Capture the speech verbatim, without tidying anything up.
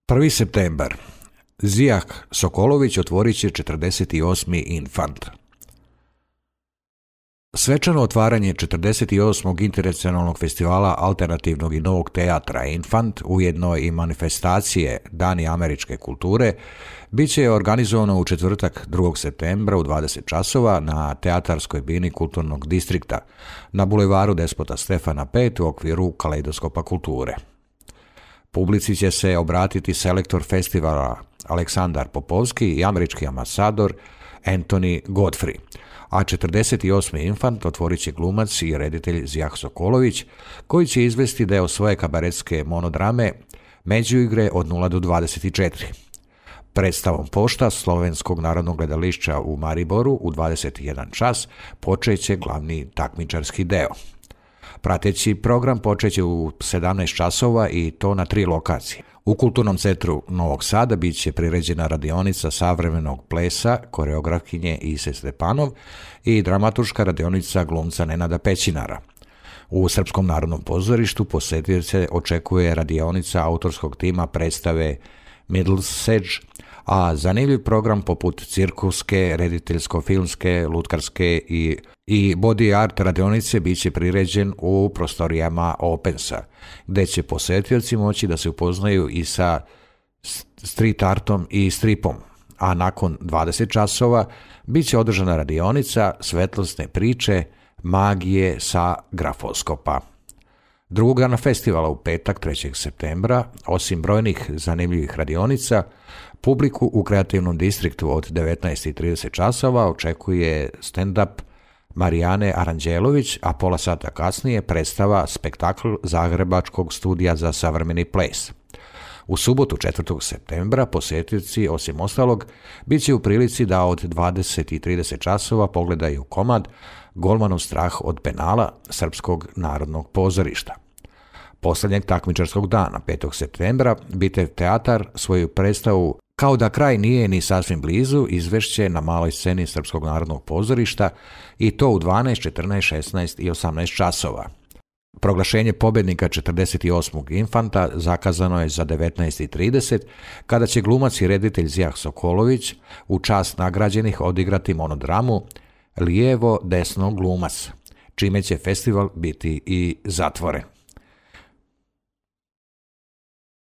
prvi septembar. Zijah Sokolović otvorit će četrdeset osmi Infant. Svečano otvaranje četrdeset osmog Internacionalnog festivala alternativnog i novog teatra Infant, ujedno i manifestacije Dani američke kulture, bit će organizovano u četvrtak drugog septembra u dvadeset časova na teatarskoj bini Kulturnog distrikta na bulevaru Despota Stefana pet u okviru Kaleidoskopa kulture. Publici će se obratiti selektor festivala Aleksandar Popovski i američki ambasador Anthony Godfrey, a četrdeset osmi Infant otvorit će glumac i reditelj Zijah Sokolović, koji će izvesti deo svoje kabaretske monodrame Međuigre od nula do dvadeset četiri. Predstavom Pošta Slovenskog narodnog gledališća u Mariboru u dvadeset jedan čas počeće glavni takmičarski deo. Prateći program počeće u sedamnaest časova i to na tri lokacije. U Kulturnom centru Novog Sada bit će priređena radionica savremenog plesa koreografkinje Ise Stepanov i dramaturška radionica glumca Nenada Pećinara. U Srpskom narodnom pozorištu posjetioce očekuje radionica autorskog tima predstave Middlesedge, a zanimljiv program poput cirkuske, rediteljsko-filmske, lutkarske i, i body art radionice bit će priređen u prostorijama Opensa, gdje će posjetioci moći da se upoznaju i sa street artom i stripom, a nakon dvadeset časova bit će održana radionica svetlosne priče magije sa grafoskopa. Drugog dana festivala u petak trećeg septembra, osim brojnih zanimljivih radionica, publiku u kreativnom distriktu od devetnaest i trideset časova očekuje stand-up Marijane Aranđelović, a pola sata kasnije predstava spektakl Zagrebačkog studija za savremeni ples. U subotu četvrtog septembra posjetioci, osim ostalog, bit će u prilici da od dvadeset i trideset časova pogledaju komad Golmanov strah od penala Srpskog narodnog pozorišta. Posljednjeg takmičarskog dana, petog septembra, Bitev teatar svoju predstavu Kao da kraj nije ni sasvim blizu izvešće na maloj sceni Srpskog narodnog pozorišta i to u dvanaest, četrnaest, šesnaest i osamnaest časova. Proglašenje pobjednika četrdeset osmog Infanta zakazano je za devetnaest i trideset, kada će glumac i reditelj Zijah Sokolović u čast nagrađenih odigrati monodramu Lijevo desno glumac, čime će festival biti i zatvoren.